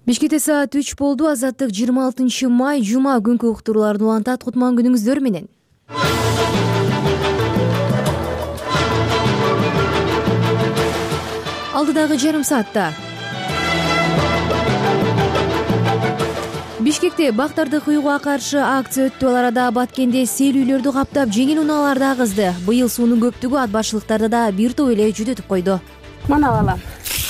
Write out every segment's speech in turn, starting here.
Бишкекте саат 3 болду. Азаттык 26 май жума күнкү уктурууларды улантат. Кутман күнүңүздөр менен. Алдыдагы жарым саатта Бишкекте бактарды кыюуга каршы акция өттү. Ал арада Баткенде сел үйлөрдү каптап, жеңил унааларды агызды. Быйыл суунун көптүгү ат башчылыктарды да бир топ эле жүдөтүп койду. Мана балам,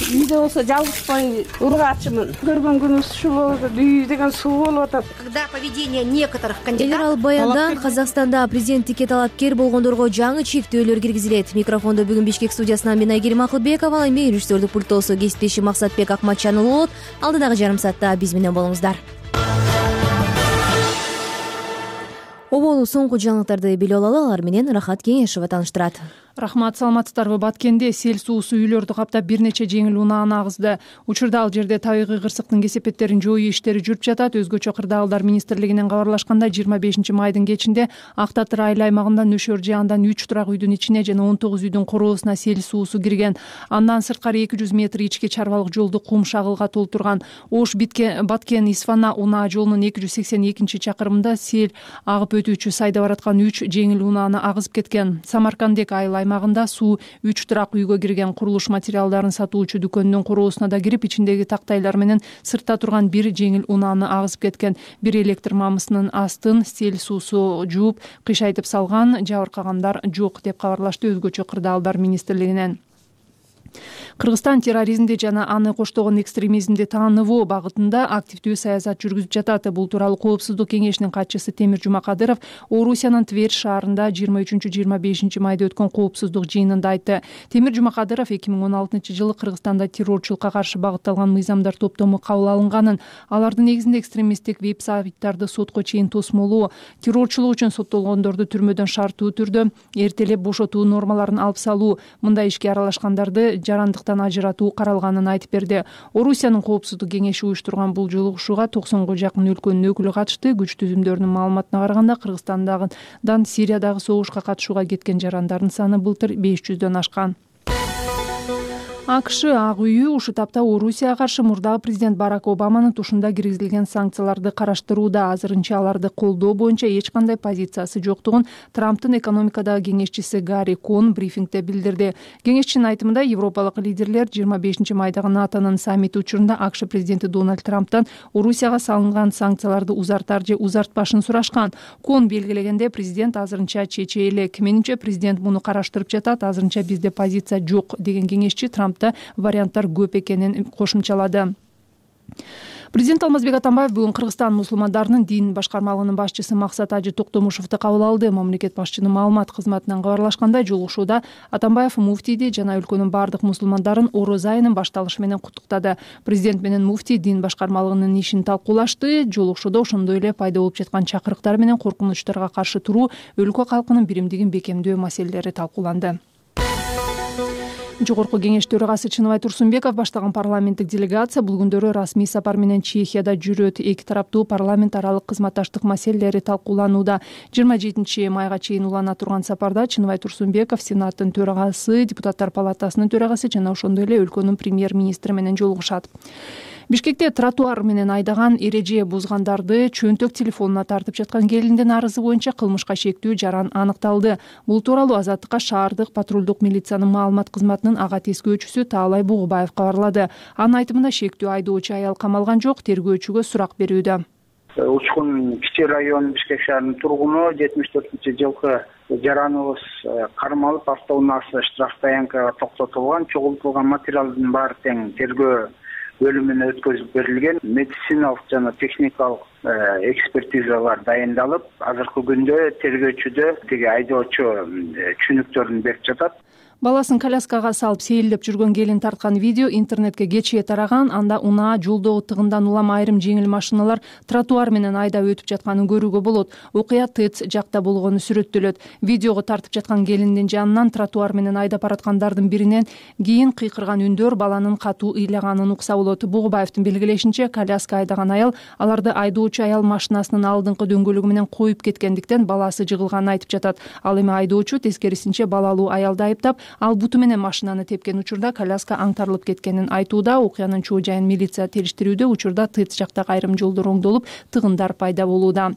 үйдө болсо жалгызбай ургачымын. Көргөн күнүбүз ушул болду. Үй деген суу болуп атат. Когда поведение некоторых Эгер кандидатов ал баяндан Казакстанда президенттикке талапкер болгондорго жаңы чектөөлөр киргизилет. Микрофондо бүгүн Бишкек студиясынан мен Айгерим Акылбекова, ал эми режиссердик пульттосу кесиптешим Максатбек Акматчанұлы болот. Алдыдагы жарым саатта биз менен болуңуздар. Оболу соңку жаңылыктарды билип алалы, алар менен Рахат Кеңешова тааныштырат. Рахмат, саламатсыздарбы? Баткенде сел суусу үйлөрдү каптап бир нече жеңил унааны агызды. Учурда ал жерде табигый кырсыктын кесепеттерин жоюу иштери жүрүп жатат. Өзгөчө кырдаалдар министрлигинен кабарлашкандай 25 майдын кечинде Ак Татыр айыл аймагында нөшөр же андан 3 турак үйдүн ичине жана 19 үйдүн короосуна сел суусу кирген. Андан сырткары 200 метр ички чарбалык жолду кум шагылга толтурган. Ош Баткен Исфана унаа жолунун 282 чакырымында сел агып өтүүчү сайда бараткан 3 жеңил унааны агызып кеткен. Самаркандек айыл аймагында суу 3 турак үйгө кирген. Курулуш материалдарын сатуучу дүкөндүн короосуна да кирип, ичиндеги тактайлар менен сыртта турган бир жеңил унааны агызып кеткен. Бир электр мамысынын астын сел суусу жууп, кыйшайтып салган, жабыркагандар жок деп кабарлашты өзгөчө кырдаалдар министрлигинен. Кыргызстан терроризмди жана аны коштогон экстремизмди тааныбоо багытында активдүү саясат жүргүзүп жатат. Бул тууралуу Коопсуздук кеңешинин катчысы Темир Жумакадыров Орусиянын Тверь шаарында 23-25 майда өткөн коопсуздук жыйынында айтты. Темир Жумакадыров 2016-жылы Кыргызстанда террорчулукка каршы багытталган мыйзамдар топтому кабыл алынганын, алардын негизинде экстремисттик веб-сайттарды сотко чейин тосмолоо, террорчулук үчүн соттолгондорду түрмөдөн шарттуу түрдө эртелеп бошотуу нормаларын алып салуу, мындай ишке аралашкандарды жарандыктан ажыратуу каралганын айтып берди. Орусиянын Коопсуздук кеңеши уюштурган бул жолугушууга 90га жакын өлкөнүн өкүлү катышты. Күч түзүмдөрүнүн маалыматына караганда Кыргызстандагыдан Сириядагы согушка катышууга кеткен жарандардын саны былтыр 500дөн ашкан. АКШ Ак үйү ушул тапта Орусияга каршы мурдагы президент Барак Обаманын тушунда киргизилген санкцияларды караштырууда. Азырынча аларды колдоо боюнча эч кандай позициясы жоктугун Трамптын экономикадагы кеңешчиси Гарри Кон брифингде билдирди. Кеңешчинин айтымында, европалык лидерлер 25 майдагы НАТОнун саммити учурунда АКШ президенти Дональд Трамптан Орусияга салынган санкцияларды узартар же узартпашын сурашкан. Кон белгилегенде, президент азырынча чече элек. Менимче президент муну караштырып жатат. Азырынча бизде позиция жок деген кеңешчи Трамп варианттар көп экенин кошумчалады. Президент Алмазбек Атамбаев бүгүн Кыргызстан мусулмандарынын дин башкармалыгынын башчысы Максат Ажы Токтомушевду кабыл алды. Мамлекет башчынын маалымат кызматынан кабарлашкандай, жолугушууда Атамбаев муфтийди жана өлкөнүн бардык мусулмандарын Орозо айынын башталышы менен куттуктады. Президент менен муфтий дин башкармалыгынын ишин талкуулашты. Жолугушууда ошондой эле пайда болуп жаткан чакырыктар менен коркунучтарга каршы туруу, өлкө калкынын биримдигин бекемдөө маселелери талкууланды. Жогорку кеңеш төрагасы Чыныбай Турсунбеков баштаган парламенттик делегация бул күндөрү расмий сапар менен Чехияда жүрөт. Эки тараптуу парламент аралык кызматташтык маселелери талкууланууда. 27 майга чейин улана турган сапарда Чыныбай Турсунбеков Сенаттын төрагасы, депутаттар палатасынын төрагасы жана ошондой эле өлкөнүн премьер-министри менен жолугушат. Бишкекте тротуар менен айдаган, эреже бузгандарды чөнтөк телефонуна тартып жаткан келиндин арызы боюнча кылмышка шектүү жаран аныкталды. Бул тууралуу Азаттыкка шаардык патрулдук милициянын маалымат кызматынын ага тескөөчүсү Таалай Бугубаев кабарлады. Анын айтымында, шектүү айдоочу аял камалган жок, тергөөчүгө сурак берүүдө. Учкун Кичи район Бишкек шаарынын тургуну 74-жылкы жараныбыз кармалып, автоунаасы штраф таянкага токтотулган, чогултулган материалдын баары тең тергөө бөлүмүнө өткөзүп берилген. Медициналык жана техникалык экспертизалар дайындалып, азыркы күндө тергөөчүдө тиги айдоочу түшүнүктөрүн берип жатат. Баласын коляскага салып сейилдеп жүргөн келин тарткан видео интернетке кечээ тараган. Анда унаа жолдогу тыгындан улам айрым жеңил машиналар тротуар менен айдап өтүп жатканын көрүүгө болот. Окуя ТЭЦ жакта болгону сүрөттөлөт. Видеого тартып жаткан келиндин жанынан тротуар менен айдап бараткандардын биринен кийин кыйкырган үндөр баланын катуу ыйлаганын укса болот. Бугубаевдин белгилешинче, коляска айдаган аял аларды айдоочу аял машинасынын алдыңкы дөңгөлөгү менен коюп кеткендиктен баласы жыгылганын айтып жатат. Ал эми айдоочу тескерисинче балалуу аялды айыптап, Ал буту менен машинаны тепкен учурда коляска аңтарылып кеткенин айтууда. Окуянын чоо жайын милиция териштирүүдө. Учурда ТЭЦ жактагы айрым жолдор оңдолуп, тыгындар пайда болууда.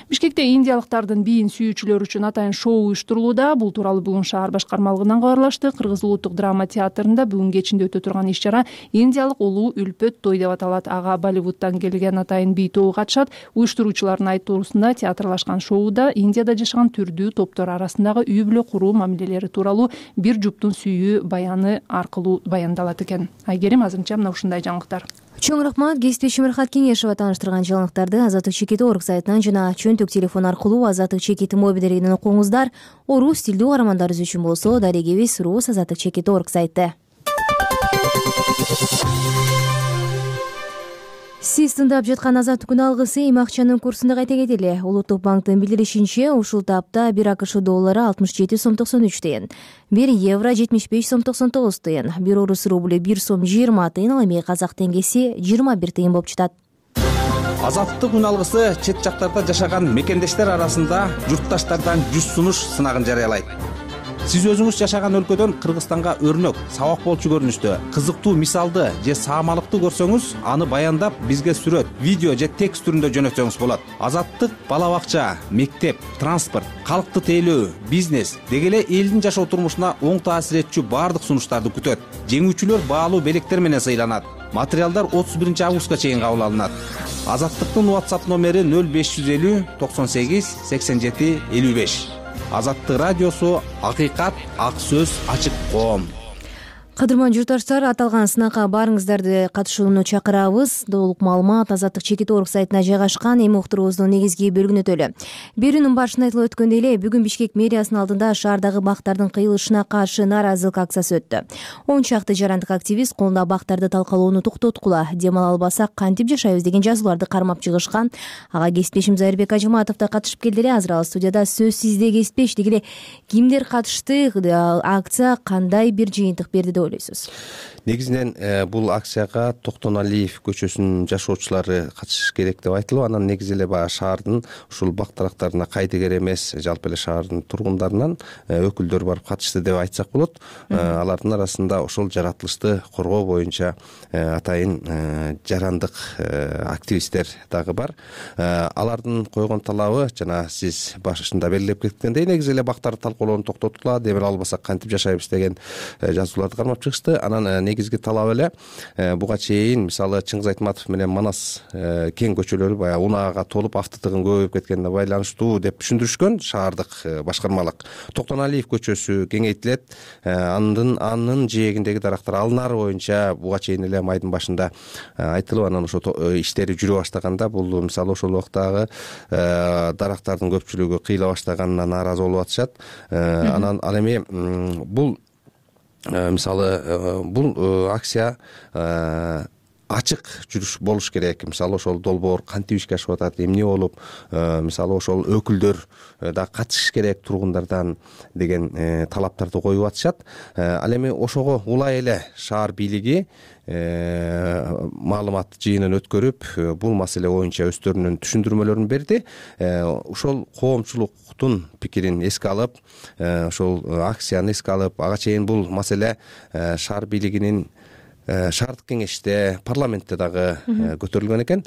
Бишкекте индиялыктардын бийин сүйүүчүлөр үчүн атайын шоу уюштурулууда. Бул тууралуу бүгүн шаар башкармалыгынан кабарлашты. Кыргыз улуттук драма театрында бүгүн кечинде өтө турган иш-чара индиялык улуу үлпөт той деп аталат. Ага Болливудтан келген атайын бий тобу катышат. Уюштуруучулардын айтуусунда театрлашкан шоуда Индияда жашаган түрдүү топтор арасындагы үй бүлө куруу мамилелери тууралуу бир жуптун сүйүү баяны аркылуу баяндалат экен. Айгерим, азырынча мына ушундай жаңылыктар. Чоң рахмат. Кесиптешим Мирхат Кеңешова тааныштырган жаңылыктарды Азаттык чекит орг сайтынан жана чөнтөк телефон аркылуу Азаттык чекит мобилдеринен окуңуздар. Орус тилдүү каармандарыбыз үчүн болсо дарегибиз Рус Азаттык чекит орг сайты. Сиз тыңдап жаткан Азаттык күн алгысы эми акчанын курсунда кайта кетели. Улуттук банктын билдиришинче, ушул тапта 1 АКШ доллары 67 сом 93 тыйын, 1 евро 75 сом 99 тыйын, 1 орус рубль 1 сом 20 тыйын, ал эми казак теңгеси 21 тыйын болуп жатат. Азаттык күн алгысы чет жактарда жашаган мекендештер арасында журтташтардан 100 сунуш сынагын жарыялайт. Сиз өзүңүз жашаган өлкөдөн Кыргызстанга өрнөк, сабак болчу көрүнүштө, кызыктуу мисалды же саамалыкты көрсөңүз, аны баяндап бизге сүрөт, видео же текст түрүндө жөнөтсөңүз болот. Азаттык бала бакча, мектеп, транспорт, калкты тейлөө, бизнес деги эле элдин жашоо турмушуна оң таасир этчү баардык сунуштарды күтөт. Жеңүүчүлөр баалуу белектер менен сыйланат. Материалдар 31 августка чейин кабыл алынат. Азаттыктын WhatsApp номери 0550 98 87 55. Азаттык радиосу, акыйкат, ак сөз, ачык коом. Кадырман журтташтар, аталган сынакка баарыңыздарды катышууну чакырабыз. Толук маалымат Азаттык чекит орг сайтына жайгашкан. Эми уктуруубуздун негизги бөлүгүнө өтөлү. Берүүнүн башында айтылып өткөндөй эле, бүгүн Бишкек мэриясынын алдында шаардагы бактардын кыйылышына каршы нааразылык акциясы өттү. 10 чакты жарандык активист колунда бактарды талкалоону токтоткула, дем ала албасак кантип жашайбыз деген жазууларды кармап чыгышкан. Ага кесиптешим Зайырбек Ажыматов да катышып келди эле. Азыр ал студияда. Сөз сизде, кесиптеш. Деги эле кимдер катышты, акция кандай бир жыйынтык берди деп ойлойсуз? Негизинен бул акцияга Токтоналиев көчөсүнүн жашоочулары катышыш керек деп айтылып, анан негизи эле баягы шаардын ушул бактарактарына кайдыгер эмес, жалпы эле шаардын тургундарынан өкүлдөр барып катышты деп айтсак болот. Алардын арасында ошол жаратылышты коргоо боюнча атайын жарандык активисттер дагы бар. Алардын койгон талабы жана сиз башында белгилеп кеткендей, негизи эле бактарды талкуулоону токтоткула, дем албасак кантип жашайбыз деген жазууларды кармап чыгышты. Анан негизги талап эле буга чейин мисалы Чыңгыз Айтматов менен Манас кең көчөлөрү баягы унаага толуп автотыгын көбөйүп кеткенине байланыштуу деп түшүндүрүшкөн шаардык башкармалык. Токтоналиев көчөсү кеңейтилет, анын жээгиндеги дарактар алынары боюнча буга чейин эле майдын башында айтылып, анан ошо иштери жүрө баштаганда бул мисалы ошол убактагы дарактардын көпчүлүгү кыйыла баштаганына нааразы болуп атышат. Анан ал эми бул мисалы бул акция ачык жүрүш болуш керек. Мисалы ошол долбоор кантип ишке ашып атат, эмне болуп, мисалы ошол өкүлдөр да катышыш керек тургундардан деген талаптарды коюп атышат. Ал эми ошого улай эле шаар бийлиги маалымат жыйынын өткөрүп, бул маселе боюнча өздөрүнүн түшүндүрмөлөрүн берди. Ошол коомчулуктун пикирин эске алып, ошол акцияны эске алып, ага чейин бул маселе шаар бийлигинин шаардык кеңеште, парламентте дагы көтөрүлгөн экен.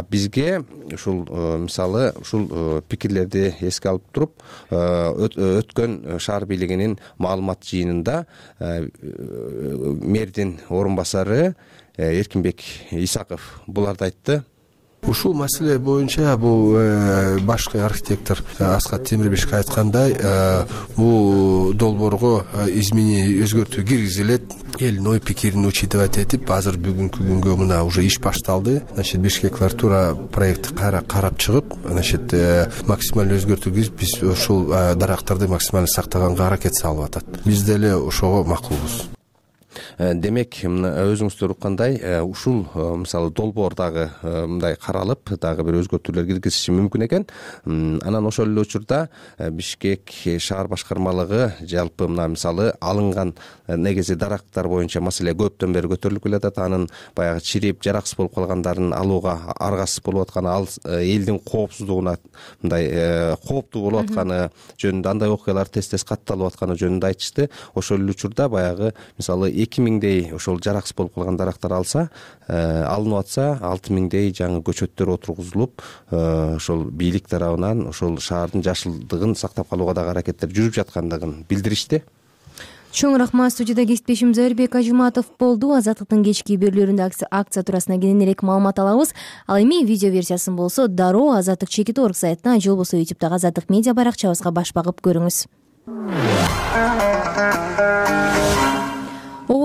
Бизге ушул мисалы ушул пикирлерди эске алып туруп, өткөн шаар бийлигинин маалымат жыйынында мэрдин орун басары Эркинбек Исаков буларды айтты. Ушул маселе боюнча бул башкы архитектор Аскат Темирбешке айткандай, бул долбоорго изменение, өзгөртүү киргизилет. Элдин ой пикирин учитывать этип, азыр бүгүнкү күнгө мына уже иш башталды. Бишкеклер туура проектти карап чыгып, максималдуу өзгөртүү киргизип, биз ушул дарактарды максималдуу сактаганга аракет салып атат. Биз деле ошого макулбуз. Демек, өзүңүздөр уккандай, ушул мисалы долбоор дагы мындай каралып, дагы бир өзгөртүүлөр киргизиши мүмкүн экен. Анан ошол эле учурда Бишкек шаар башкармалыгы жалпы мына мисалы алынган негизи дарактар боюнча маселе көптөн бери көтөрүлүп келатат. Анын баягы чирип жараксыз болуп калгандарын алууга аргасыз болуп атканы, ал элдин коопсуздугуна мындай кооптуу болуп атканы жөнүндө, андай окуялар тез катталып атканы жөнүндө айтышты. Ошол эле учурда баягы мисалы 2000дей ошол жараксыз болуп калган дарактар алынып атса, 6000дей жаңы көчөттөр отургузулуп, ошол бийлик тарабынан ошол шаардын жашылдыгын сактап калууга дагы аракеттер жүрүп жаткандыгын билдиришти. Чоң рахмат. Студияда кесиптешим Зайырбек Ажыматов болду. Азаттыктын кечки берүүлөрүндө акция туурасында кененирээк маалымат алабыз. Ал эми видео версиясын болсо дароо Азаттык.org сайтына же болбосо YouTube'дагы Азаттык медиа баракчабызга баш багып көрүңүз.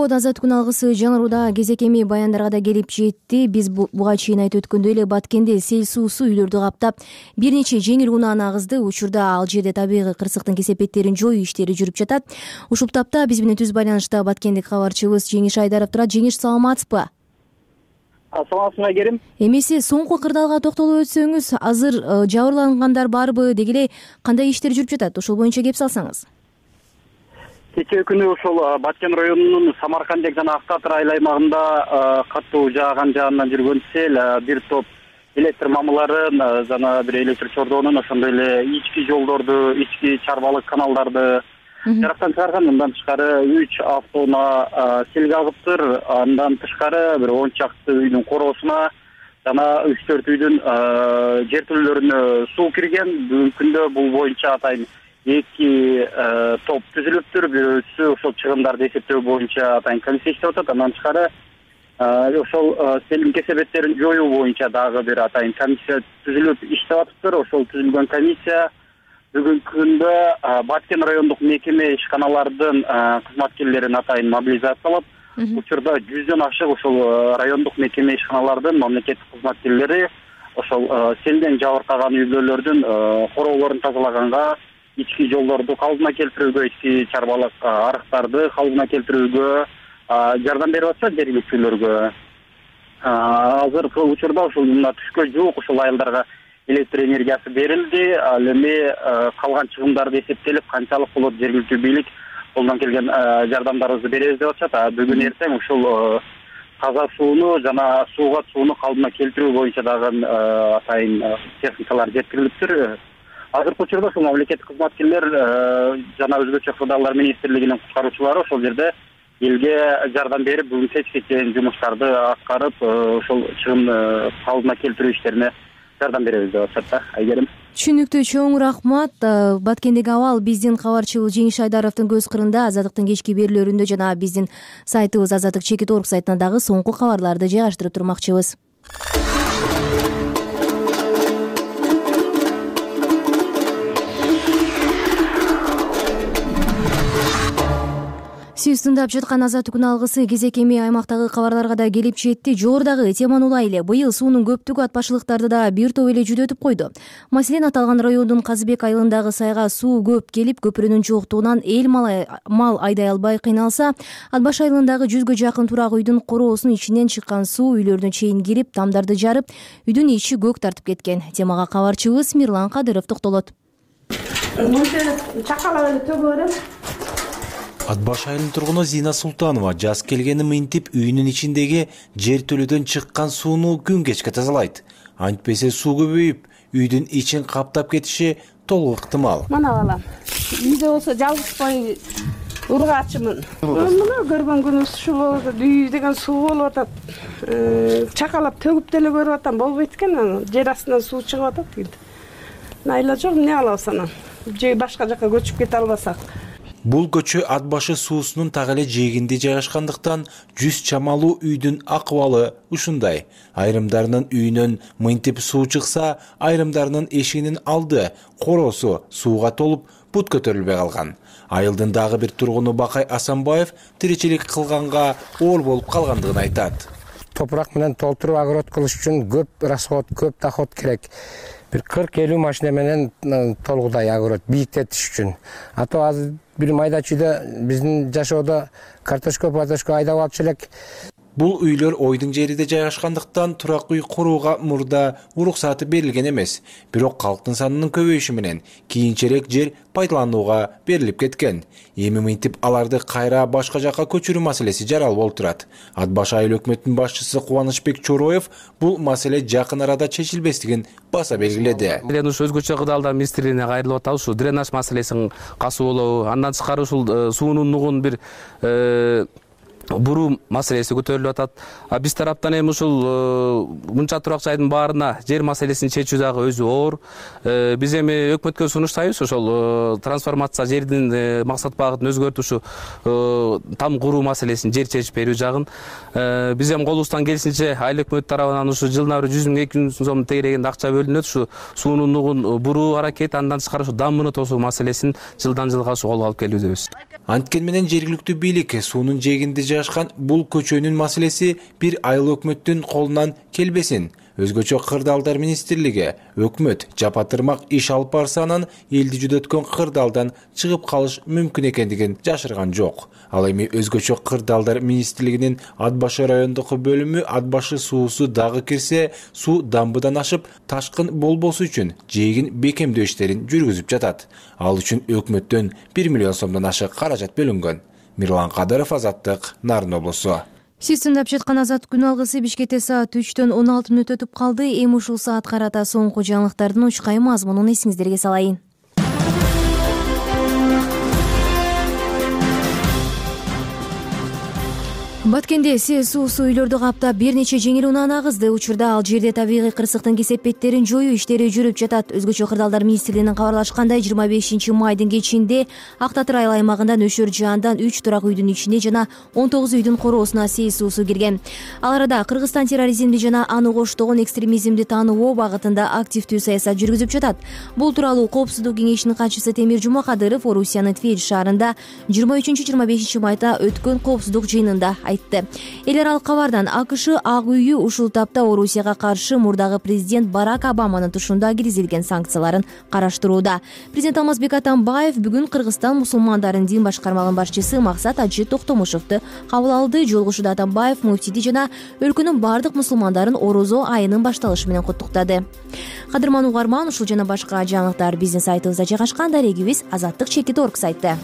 Азат күн алгысы жаңырууда кезек эми баяндарга да келип жетти. Биз буга чейин айтып өткөндөй эле Баткенде сел суусу үйлөрдү каптап, бир нече жеңил унааны агызды. Учурда ал жерде табигый кырсыктын кесепеттерин жоюу иштери жүрүп жатат. Ушул тапта биз менен түз байланышта Баткендик кабарчыбыз Жеңиш Айдаров турат. Жеңиш, саламатсызбы? Саламатсызбы Айгерим. Эмесе соңку кырдаалга токтолуп өтсөңүз, азыр жабырлангандар барбы, деги эле кандай иштер жүрүп жатат? Ошол боюнча кеп салсаңыз. Кечээ күнү ошол Баткен районунун Самаркандек жана Актатыр айыл аймагында катуу жааган жаандан жүргөн сел бир топ электр мамыларын жана бир электр чордоонун, ошондой эле ички жолдорду, ички чарбалык каналдарды жарактан чыгарган. Мындан тышкары 3 автоунаа селге агыптыр. Андан тышкары бир 10 чакты үйдүн короосуна жана 3-4 үйдүн жертөлөлөрүнө суу кирген. Бүгүнкү күндө бул боюнча атайын 2 топ түзүлүптүр. Бирөөсү ошол чыгымдарды эсептөө боюнча атайын комиссия иштеп атат. Андан тышкары ошол селдин кесепеттерин жоюу боюнча дагы бир атайын комиссия түзүлүп иштеп атыптыр. Ошол түзүлгөн комиссия бүгүнкү күндө Баткен райондук мекеме ишканалардын кызматкерлерин атайын мобилизациялап, учурда 100дөн ашык ошол райондук мекеме ишканалардын мамлекеттик кызматкерлери ошол селден жабыркаган үйлөрдүн короолорун тазалаганга, ички жолдорду калыбына келтирүүгө, ички чарбалык арыктарды калыбына келтирүүгө жардам берип атышат жергиликтүүлөргө. Азыркы учурда ушул мына түшкө жуук ушул айылдарга электр энергиясы берилди. Ал эми калган чыгымдарды эсептелип, канчалык болот жергиликтүү бийлик колдон келген жардамдарыбызды беребиз деп атышат. Бүгүн эртең ушул таза сууну жана суугат сууну калыбына келтирүү боюнча дагы атайын техникалар жеткирилиптир. Азыркы учурда ушул мамлекеттик кызматкерлер жана өзгөчө кырдаалдар министрлигинин куткаруучулары ошол жерде элге жардам берип, бүгүн кечке чейин жумуштарды аткарып, ошол чыгым калыбына келтирүү иштерине жардам беребиз деп атышат да, Айгерим. Түшүнүктүү, чоң рахмат. Баткендеги абал биздин кабарчыбыз Жеңиш Айдаровдун көз кырында, Азаттыктын кечки берүүлөрүндө жана биздин сайтыбыз Азаттык.org сайтына дагы соңку кабарларды жайгаштырып турмакчыбыз. Сиз тыңдап жаткан Азаттык күн алгысы кезек эми аймактагы кабарларга да келип жетти. Жогорудагы теманы улайлы. Быйыл суунун көптүгү ат башчылыктарды да бир топ эле жүдөтүп койду. Маселен, аталган райондун Казыбек айылындагы сайга суу көп келип, көпүрөнүн жоктугунан эл мал айдай албай кыйналса, Ат баш айылындагы 100гө жакын турак үйдүн короосунун ичинен чыккан суу үйлөрүнө чейин кирип, тамдарды жарып, үйдүн ичи көк тартып кеткен. Темага кабарчыбыз Мирлан Кадыров токтолот. Чакалап эле төгө берем. Ат баш айылынын тургуну Зина Султанова жаз келгени мынтип үйүнүн ичиндеги жертөлөдөн чыккан сууну күн кечке тазалайт. Антпесе суу көбөйүп, үйдүн ичин каптап кетиши толук ыктымал. Мана балам, үйдө болсо жалгызбай ургаачымын. Мына көргөн күнүбүз ушул болот, үй деген суу болуп атат. Чакалап төгүп деле көрүп атам, болбойт экен. Жер астынан суу чыгып атат. Найла жок, эмне кылабыз анан? Же башка жака көчүп кете албасак. Бул көчө ат башы суусунун так эле жээгинде жайгашкандыктан 100 чамалуу үйдүн акыбалы ушундай. Айрымдарынын үйүнөн мынтип суу чыкса, айрымдарынын эшигинин алды, короосу сууга толуп, бут көтөрүлбөй калган. Айылдын дагы бир тургуну Бакай Асанбаев тиричилик кылганга оор болуп калгандыгын айтат. Топурак менен толтуруп огород кылыш үчүн көп расход, көп доход керек. Бир 40-50 машина менен толугудай огород бийиктетиш үчүн. Ато азыр бир майда чүйдө биздин жашоодо картошка айдап алып элек. Бул үйлөр ойдун жериде жайгашкандыктан турак үй курууга мурда уруксаты берилген эмес. Бирок калктын санынын көбөйүшү менен кийинчерээк жер пайдаланууга берилип кеткен. Эми мынтип аларды кайра башка жакка көчүрүү маселеси жарал болуп турат. Ат башы айыл өкмөтүнүн башчысы Кубанычбек Чороев бул маселе жакын арада чечилбестигин баса белгиледи. Ушу өзгөчө кырдаалдар министрлигине кайрылып атабыз. Ушу дренаж маселесин касуулоо, андан тышкары ушул суунун нугун бир буруу маселеси көтөрүлүп атат. Биз тараптан эми ушул мынча турак жайдын баарына жер маселесин чечүү дагы өзү оор. Биз эми өкмөткө сунуштайбыз ошол трансформация жердин максат багытын өзгөртүп ушу там куруу маселесин жер чечип берүү жагын. Биз эми колубуздан келишинче айыл өкмөт тарабынан ушу жылына 100 миң 200 миң сом тегерегинде акча бөлүнөт. Ушу суунун нугун буруу аракет, андан тышкары ушу дамбыны тосуу маселесин жылдан жылга ушу колго алып келүүдөбүз. Анткени менен жергиликтүү бийлик суунун жээгинде жайгашкан бул көчөнүн маселеси бир айыл өкмөттүн колунан келбесин. Өзгөчө кырдаалдар министрлиги өкмөт жапатырмак иш алып барса анан элди жүдөткөн кырдаалдан чыгып калыш мүмкүн экендигин жашырган жок. Ал эми өзгөчө кырдаалдар министрлигинин Ат башы райондук бөлүмү ат башы суусу дагы кирсе, суу дамбыдан ашып ташкын болбосу үчүн жээгин бекемдөө иштерин жүргүзүп жатат. Ал үчүн өкмөттөн 1 миллион сомдон ашык каражат бөлүнгөн. Мирлан Кадыров, Азаттык, Нарын облусу. Сиз тыңдап жаткан Азаттык күн алгысы Бишкекте саат 3-төн 16 мүнөт өтүп калды. Эми ушул саат карата соңку жаңылыктардын учкай мазмунун эсиңиздерге салайын. Баткенде сел суусу үйлөрдү каптап бир нече жеңил унааны агызды. Учурда ал жерде табигый кырсыктын кесепеттерин жоюу иштери жүрүп жатат. Өзгөчө кырдаалдар министрлигинин кабарлашкандай 25 майдын кечинде Ак Татыр айыл аймагында нөшөр жаандан 3 турак үйдүн ичине жана 19 үйдүн короосуна сел суусу кирген. Ал арада Кыргызстан терроризмди жана аны коштогон экстремизмди таануу багытында активдүү саясат жүргүзүп жатат. Бул тууралуу Коопсуздук кеңешинин катчысы Темир Жумакадыров Орусиянын Тверь шаарында 23-25 майда өткөн коопсуздук жыйынында Эл аралык кабардан АКШ Ак үйү ушул тапта Орусияга каршы мурдагы президент Барак Обаманын тушунда киргизилген санкцияларын караштырууда. Президент Алмазбек Атамбаев бүгүн Кыргызстан мусулмандарын дин башкармалыгынын башчысы Максат Ажы Токтомушевду кабыл алды. Жолугушууда Атамбаев муфтийди жана өлкөнүн бардык мусулмандарын Орозо айынын башталышы менен куттуктады. Кадырман угарман, ушул жана башка жаңылыктар биздин сайтыбызда жайгашкан. Дарегибиз azattik.org сайты.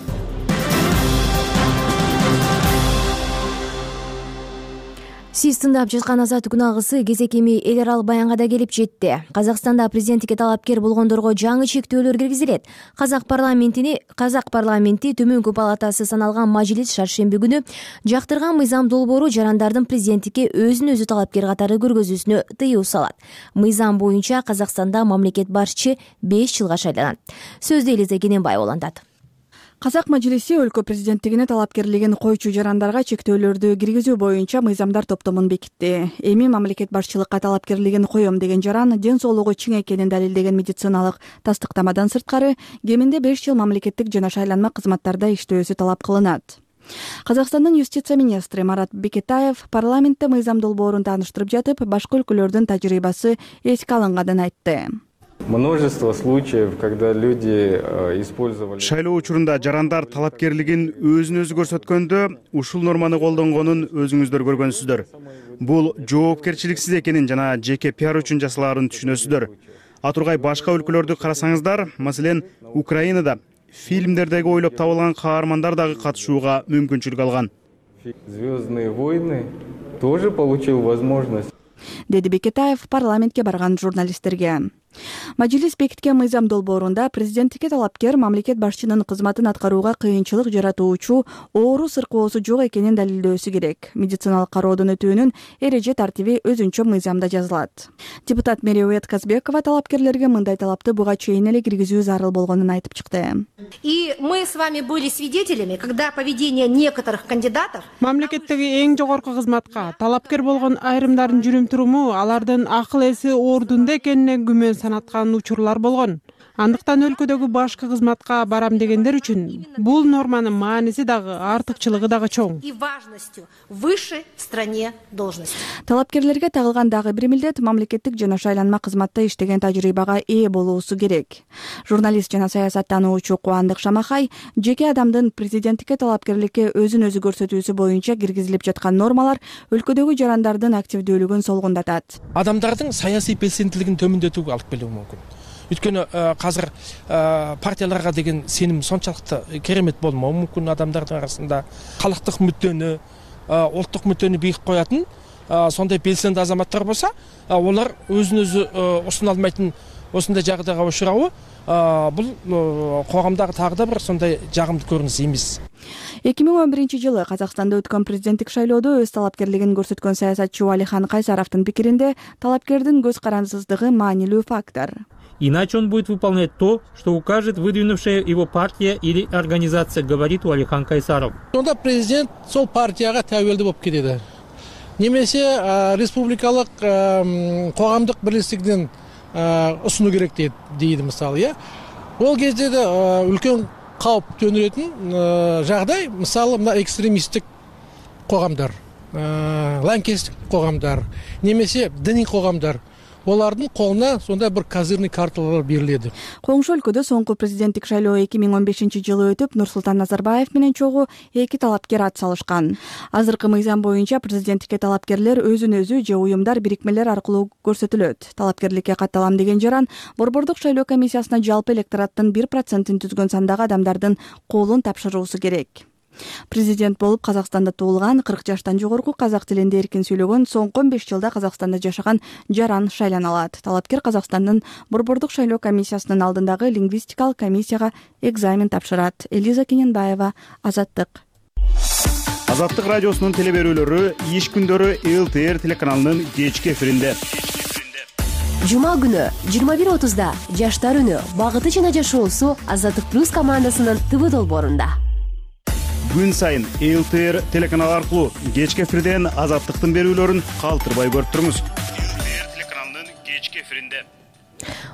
Сиз тыңдап жаткан Азаттык күн алгысы кезек эми эл аралык баянга да келип жетти. Казакстанда президенттикке талапкер болгондорго жаңы чектөөлөр киргизилет. Казак парламенти төмөнкү палатасы саналган мажлис шаршемби күнү жактырган мыйзам долбоору жарандардын президенттикке өзүн өзү талапкер катары көргөзүүсүнө тыюу салат. Мыйзам боюнча Казакстанда мамлекет башчы 5 жылга шайланат. Сөздү Элиза Кененбаева улантат. Казак мажлиси өлкө президенттигине талапкерлигин койчу жарандарга чектөөлөрдү киргизүү боюнча мыйзамдар топтомун бекитти. Эми мамлекет башчылыкка талапкерлигин коем деген жаран ден соолугу чың экенин далилдеген медициналык тастыктамадан сырткары кеминде 5 жыл мамлекеттик жана шайланма кызматтарда иштөөсү талап кылынат. Казакстандын юстиция министри Марат Бекетаев парламентте мыйзам долбоорун тааныштырып жатып, башка өлкөлөрдүн тажрыйбасы эске алынганын айтты. Множество случаев, когда люди использовали... Шайлоо учурунда жарандар талапкерлигин өзүн өзү көрсөткөндө ушул норманы колдонгонун өзүңүздөр көргөнсүздөр. Бул жоопкерчиликсиз экенин жана жеке пиар үчүн жасалаарын түшүнөсүздөр. Атургай башка өлкөлөрдү карасаңыздар, маселен, Украинада фильмдердеги ойлоп табылган каармандар дагы катышууга мүмкүнчүлүк алган. Звездные войны тоже получил возможность. Деди Бекетаев парламентке барган журналисттерге. Мажлис бекиткен мыйзам долбоорунда президенттикке талапкер мамлекет башчынын кызматын аткарууга кыйынчылык жаратуучу оору сыркоосу жок экенин далилдөөсү керек. Медициналык кароодон өтүүнүн эреже тартиби өзүнчө мыйзамда жазылат. Депутат Мериует Казбекова талапкерлерге мындай талапты буга чейин эле киргизүү зарыл болгонун айтып чыкты. И мы с вами были свидетелями, когда поведение некоторых кандидатов... Мамлекеттеги эң жогорку кызматка талапкер болгон айрымдардын жүрүм туруму алардын акыл эси ордунда экенине күмөн санаткан учурлар болгон. Андыктан өлкөдөгү башкы кызматка барам дегендер үчүн бул норманын мааниси дагы артыкчылыгы дагы чоң. И важностью выше в стране должности. Талапкерлерге тагылган дагы бир милдет мамлекеттик жана шайланма кызматта иштеген тажрыйбага ээ болуусу керек. Журналист жана саясаттануучу Кубандык Шамахай жеке адамдын президенттикке талапкерликке өзүн өзү көрсөтүүсү боюнча киргизилип жаткан нормалар өлкөдөгү жарандардын активдүүлүгүн солгундатат. Адамдардын саясий белсендүүлүгүн төмөндөтүүгө алып келүү мүмкүн. Өйткөнү азыр партияларга деген сеним сончалыктуу керемет болмоо мүмкүн. Адамдардын арасында калктык мүддөнү, улуттук мүддөнү бийик коятын сондай белсендүү азаматтар болсо, олар өзүн өзү усуна алмайтын осындай жагдайга учурабы, бул коомдагы дагы да бир сондай жагымдуу көрүнүш эмес. 2011-жылы Казакстанда өткөн президенттик шайлоодо өз талапкерлигин көрсөткөн саясатчы Алихан Кайсаровдун пикиринде талапкердин көз карандысыздыгы маанилүү фактор. Иначе он будет выполнять то, что укажет выдвинувшая его партия или организация, говорит Алихан Кайсаров. Онда президент сол партияга табелдүү болуп кетет. Немесе республикалык коомдук бирликтигин усунуу керек дейт мисалы. Ол кезде да үлкөн кауп төнүрөтүн жагдай, мисалы мына экстремисттик коомдар, лаңкестик коомдар, немесе диний коомдар, олардын колуна сондай бир козырный карталар берилет. Коңшу өлкөдө соңку президенттик шайлоо 2015-жылы өтүп, Нурсултан Назарбаев менен чогуу эки талапкер ат салышкан. Азыркы мыйзам боюнча президенттикке талапкерлер өзүн өзү же уюмдар, бирикмелер аркылуу көрсөтүлөт. Талапкерликке катталам деген жаран Борбордук шайлоо комиссиясына жалпы электораттын 1%-ин түзгөн сандагы адамдардын колун тапшыруусу керек. Президент болуп Казакстанда туулган 40 жаштан жогорку казак тилинде эркин сүйлөгөн соңку 15 жылда Казакстанда жашаган жаран шайлана алат. Талапкер Казакстандын Борбордук шайлоо комиссиясынын алдындагы лингвистикалык комиссияга экзамен тапшырат. Элиза Кененбаева, Азаттык. Азаттык радиосунун телеберүүлөрү иш күндөрү ЛТР телеканалынын кечки эфиринде. Жума күнү 21:30да Жаштар үнү, багыты жана жашоосу Азаттык плюс командасынын ТВ долбоорунда. Күн сайын ЛТР телеканалы аркылуу кечки эфирден Азаттыктын берүүлөрүн калтырбай көрүп туруңуз. ЛТР телеканалынын кечки эфиринде.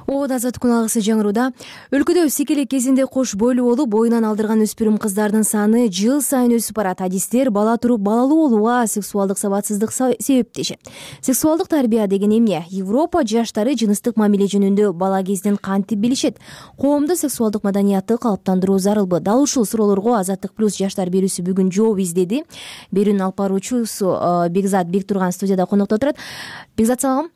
Азаттык алгысы жаңырууда. Өлкөдө секелек кезинде кош бойлуу болуп, боюнан алдырган өспүрүм кыздардын саны жыл сайын өсүп барат. Адистер бала туруп балалуу болууга сексуалдык сабатсыздык себептешет. Сексуалдык тарбия деген эмне? Европа жаштары жыныстык мамиле жөнүндө бала кезден кантип билишет? Коомдо сексуалдык маданиятты калыптандыруу зарылбы? Дал ушул суроолорго Азаттык плюс жаштар берүүсү бүгүн жооп издеди. Берүүнүн алып баруучусу Бекзат Бектурган студияда конокто отурат. Бекзат, салам.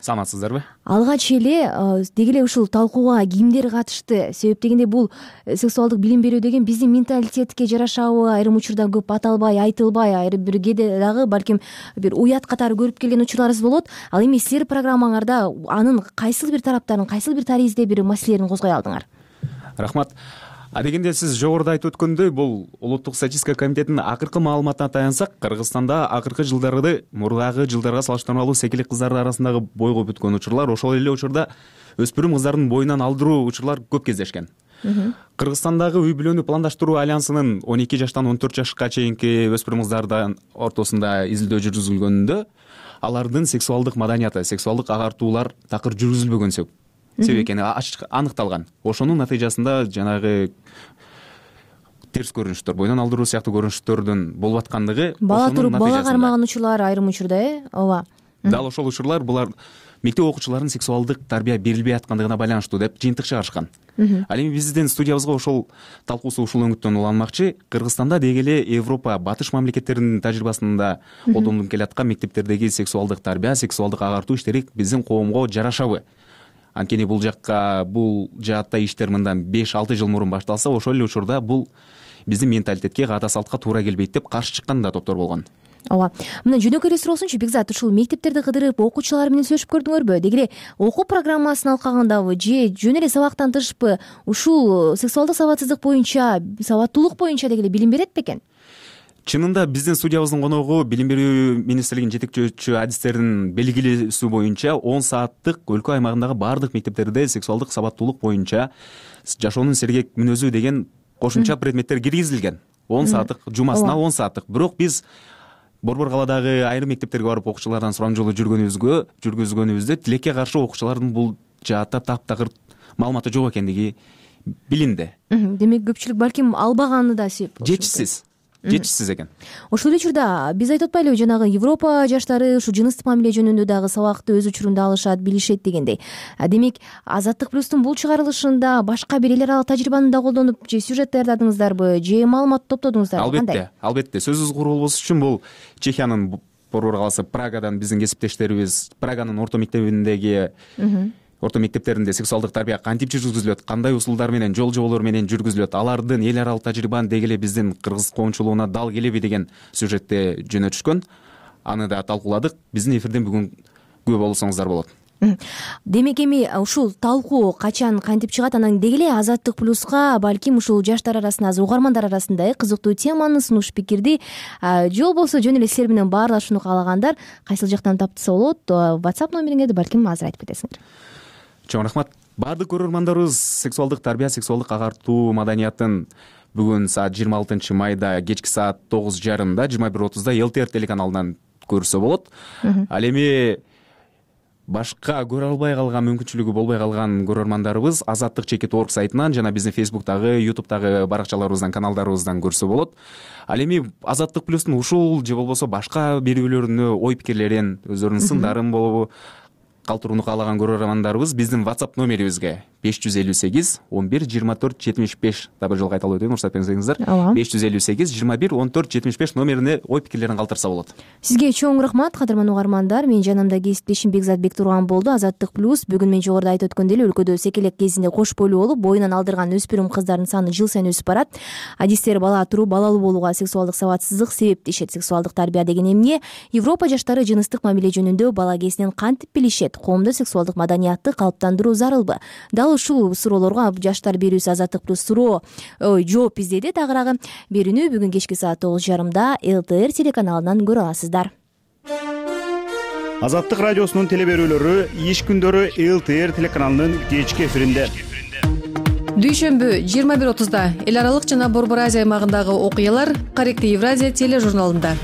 Саламатсыздарбы? Алгач эле деги эле ушул талкууга кимдер катышты? Себеп дегенде бул сексуалдык билим берүү деген биздин менталитетке жарашабы? Айрым учурда көп аталбай, айтылбай, айрым бир кээде дагы балким бир уят катары көрүп келген учурларыбыз болот. Ал эми силер программаңарда анын кайсыл бир тараптарын, кайсыл бир таризде бир маселелерин козгой алдыңар? Рахмат. Дегенде сиз жогоруда айтып өткөндөй, бул улуттук статистика комитетинин акыркы маалыматына таянсак, Кыргызстанда акыркы жылдары мурдагы жылдарга салыштырмалуу секелек кыздардын арасындагы бойго бүткөн учурлар, ошол эле учурда өспүрүм кыздардын боюнан алдыруу учурлар көп кездешкен. Кыргызстандагы үй бүлөнү пландаштыруу альянсынын 12 жаштан 14 жашка чейинки өспүрүм кыздардын ортосунда изилдөө жүргүзүлгөндө алардын сексуалдык маданияты, сексуалдык агартуулар такыр жүргүзүлбөгөн себеп экени аныкталган. Ошонун натыйжасында жанагы терс көрүнүштөр, боюнан алдыруу сыяктуу көрүнүштөрдүн болуп аткандыгы, бала туруп бала кармаган учурлар айрым учурда, ооба. Дал ошол учурлар булар мектеп окуучуларынын сексуалдык тарбия берилбей аткандыгына байланыштуу деп жыйынтык чыгарышкан. Ал эми биздин студиябызга ошол талкуусу ушул өңүттөн уланмакчы. Кыргызстанда деги эле Европа батыш мамлекеттеринин тажрыйбасында колдонулуп келаткан мектептердеги сексуалдык тарбия, сексуалдык агартуу иштери биздин коомго жарашабы? Анткени бул жаатта иштер мындан 5-6 жыл мурун башталса, ошол эле учурда бул биздин менталитетке, каада салтка туура келбейт деп каршы чыккан да топтор болгон. Ооба. Мына жөнөкөй эле суроосунчу, Бекзат, ушул мектептерди кыдырып, окуучулар менен сүйлөшүп көрдүңөрбү? Деги эле окуу программасын алкагандабы же жөн эле сабактан тышпы ушул сексуалдык сабатсыздык боюнча, сабаттуулук боюнча деги эле билим берет бекен? Чынында биздин студиябыздын коногу билим берүү министрлигинин жетекчү адистеринин белгилөөсү боюнча 10 сааттык өлкө аймагындагы баардык мектептерде сексуалдык сабаттуулук боюнча жашоонун сергек мүнөзү деген кошумча предметтер киргизилген. 10 сааттык, жумасына 10 сааттык. Бирок биз Борбор калаадагы айрым мектептерге барып окуучулардан сурамжылоо жүргүзгөнүбүздө тилекке каршы окуучулардын бул жаатта таптакыр маалыматы жок экендиги билинди. Демек көпчүлүк балким албаганы да себеп болушу жетишсиз экен. Ошол эле учурда биз айтып атпайлыбы, жанагы Европа жаштары ушу жыныстык мамиле жөнүндө дагы сабакты өз учурунда алышат, билишет дегендей. Демек Азаттык плюстун бул чыгарылышында башка бир эл аралык тажрыйбаны да колдонуп, же сюжет даярдадыңыздарбы, же маалымат топтодуңуздарбы? Албетте. Сөзүбүз куру болбош үчүн бул Чехиянын борбор каласы Прагадан биздин кесиптештерибиз Праганын орто мектептеринде сексуалдык тарбия кантип жүргүзүлөт, кандай усулдар менен, жол жоболор менен жүргүзүлөт, алардын эл аралык тажрыйбаны деги эле биздин кыргыз коомчулугуна дал келеби деген сюжетте жөнөтүшкөн. Аны да талкууладык. Биздин эфирден бүгүн күбө болсоңуздар болот. Демек эми ушул талкуу качан кантип чыгат, анан деги эле Азаттык плюска балким ушул жаштар арасында, угармандар арасында кызыктуу теманы, сунуш пикирди же болбосо жөн эле силер менен баарлашууну каалагандар кайсыл жактан таптаса болот, WhatsApp номериңерди балким азыр айтып кетесиңер. Чоң рахмат. Баардык көрөрмандарыбыз сексуалдык тарбия, сексуалдык агартуу маданиятын бүгүн саат 26 майда кечки саат 9:30 21:30 ЛТР телеканалынан көрсө болот. Ал эми башка көрө албай калган, мүмкүнчүлүгү болбой калган көрөрмандарыбыз azattik.org сайтынан жана биздин Facebook'тагы, YouTube'тагы баракчаларыбыздан, каналдарыбыздан көрсө болот. Ал эми Азаттык плюстун ушул же болбосо башка берүүлөрүнө ой пикирлерин, өздөрүнүн сындарын болобу калтырууну каалаган көрөрмандарыбыз биздин WhatsApp номерибизге 558 11 24 75 дагы жолу кайталап өтөйүн, уруксат берсеңиздер. 558 21 14 75 номерине ой пикирлерин калтырса болот. Сизге чоң рахмат, кадырман угармандар. Менин жанымда кесиптешим Бекзат Бектурган болду. Азаттык плюс бүгүн мен жогоруда айтып өткөндөй эле өлкөдө секелек кезинде кош бойлуу болуп, боюнан алдырган өспүрүм кыздардын саны жыл сайын өсүп барат. Адистер бала туруу, балалуу болууга сексуалдык сабатсыздык себеп дешет. Сексуалдык тарбия деген эмне? Европа жаштары жыныстык мамиле жөнүндө бала кезинен кантип билишет? Коомдо сексуалдык маданиятты калыптандыруу зарылбы? Дал ушул суроолорго жаштар берүүсү Азаттык плюс жооп издеди. Тагыраагы берүүнү бүгүн кечки саат 9:30 ЛТР телеканалынан көрө аласыздар. Азаттык радиосунун телеберүүлөрү иш күндөрү ЛТР телеканалынын кечки эфиринде. Дүйшөмбү 21:30 эл аралык жана Борбор Азия аймагындагы окуялар Корректив Евразия тележурналында.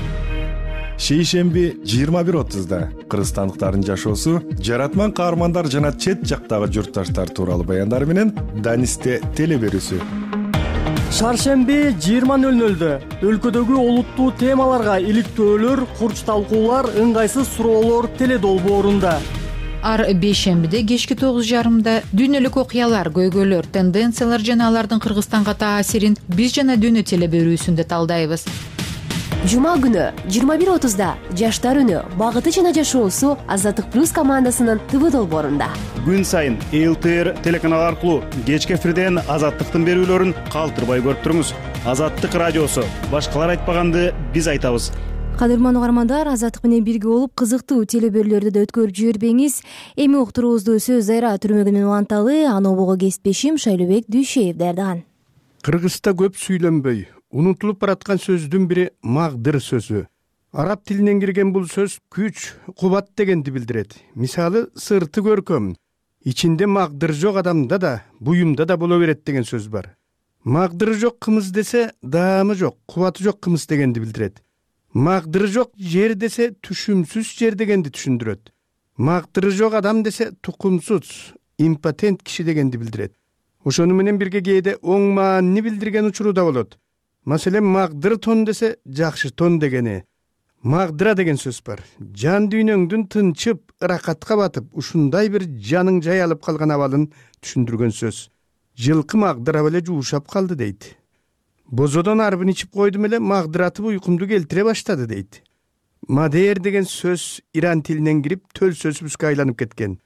Шейшемби 21:30 кыргызстандыктардын жашоосу, жаратман каармандар жана чет жактагы журтташтар тууралуу баяндар менен Данисте телеберүүсү. Шаршемби 20:00 өлкөдөгү олуттуу темаларга иликтөөлөр, курч талкуулар, ыңгайсыз суроолор теледолбоорунда. Ар бейшембиде кечки 9:30 дүйнөлүк окуялар, көйгөйлөр, тенденциялар жана алардын Кыргызстанга таасирин биз жана дүйнө телеберүүсүндө талдайбыз. Жума күнү 21:30 жаштар үнү, багыты жана жашоосу Азаттык плюс командасынын ТВ долбоорунда. Күн сайын ЛТР телеканалы аркылуу кечки эфирден Азаттыктын берүүлөрүн калтырбай көрүп туруңуз. Азаттык радиосу, башкалар айтпаганды биз айтабыз. Кадырман угармандар, Азаттык менен бирге болуп кызыктуу телеберүүлөрдү да өткөрүп жибербеңиз. Эми уктуруубузду сөз Зайра түрмөгүнөн уланталы, анобого кесиптешим Шайлообек Дүйшеев даярдаган. Кыргызда көп сүйлөнбөй, унутулуп бараткан сөздүн бири магдыр сөзү. Араб тилинен кирген бул сөз күч, кубат дегенди билдирет. Мисалы, сырты көркөм, ичинде магдыр жок адамда да, буюмда да боло берет деген сөз бар. Магдыры жок кымыз десе, даамы жок, кубаты жок кымыз дегенди билдирет. Магдыры жок жер десе, түшүмсүз жер дегенди түшүндүрөт. Магдыры жок адам десе, тукумсуз, импотент киши дегенди билдирет. Ошону менен бирге кээде оң маанини билдирген учуру да болот. Маселен, магдыр тон десе, жакшы тон дегени. Магдыра деген сөз бар. Жан дүйнөңдүн тынчып, ыракатка батып, ушундай бир жаның жай алып калган абалын түшүндүргөн сөз. Жылкы магдырап эле жуушап калды дейт. Бозодон арбын ичип койдум эле, магдыратып уйкумду келтире баштады дейт. Мадер деген сөз Иран тилинен кирип, төл сөзүбүзгө айланып кеткен.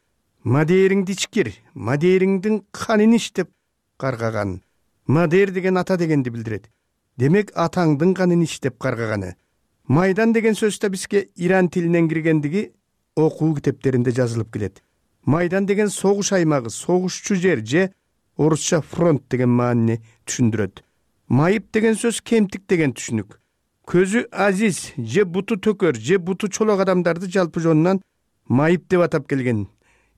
Мадериңди ичкир, мадериңдин канын ич деп каргаган. Мадер деген ата дегенди билдирет. Демек, атаңдын канын ич деп каргаганы. Майдан деген сөз да бизге Иран тилинен киргендиги окуу китептеринде жазылып келет. Майдан деген согуш аймагы, согушчу жер же орусча фронт деген маанини түшүндүрөт. Майып деген сөз кемтик деген түшүнүк. Көзү азиз же буту төкөр же буту чолок адамдарды жалпы жонунан майып деп атап келген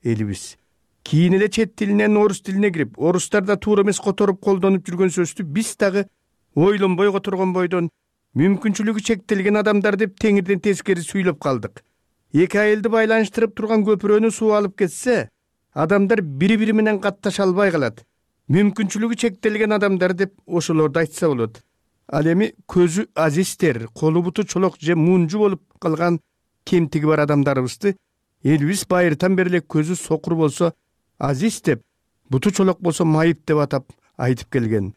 элибиз. Кийин эле чет тилинен орус тилине кирип, орустар да туура эмес которуп колдонуп жүргөн сөздү биз дагы ойлонбой которгон бойдон мүмкүнчүлүгү чектелген адамдар деп теңирден тескери сүйлөп калдык. Эки айылды байланыштырып турган көпүрөнү суу алып кетсе, адамдар бири бири менен катташа албай калат. Мүмкүнчүлүгү чектелген адамдар деп ошолорду айтса болот. Ал эми көзү азиздер, колу буту чолок же мунжу болуп калган кемтиги бар адамдарыбызды элибиз байыртан бери эле көзү сокур болсо азиз деп, буту чолок болсо майып деп атап айтып келген.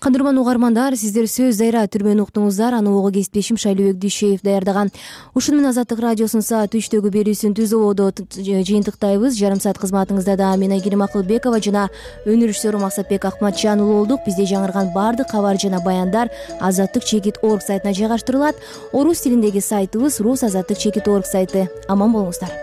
Кадырман угармандар, сиздер сөз дайра түрмөнү уктуңуздар. Аны ого кесиптешим Шайлообек Дүйшеев даярдаган. Ушуну менен Азаттык радиосунун саат 3-төгү берүүсүн түз ободо жыйынтыктайбыз. Жарым саат кызматыңызда да мен Айгерим Акылбекова жана өнөр режиссеру Максатбек Акматжан уулу болдук. Бизде жаңырган баардык кабар жана баяндар azattik.org сайтына жайгаштырылат. Орус тилиндеги сайтыбыз rus.azattik.org сайты. Аман болуңуздар.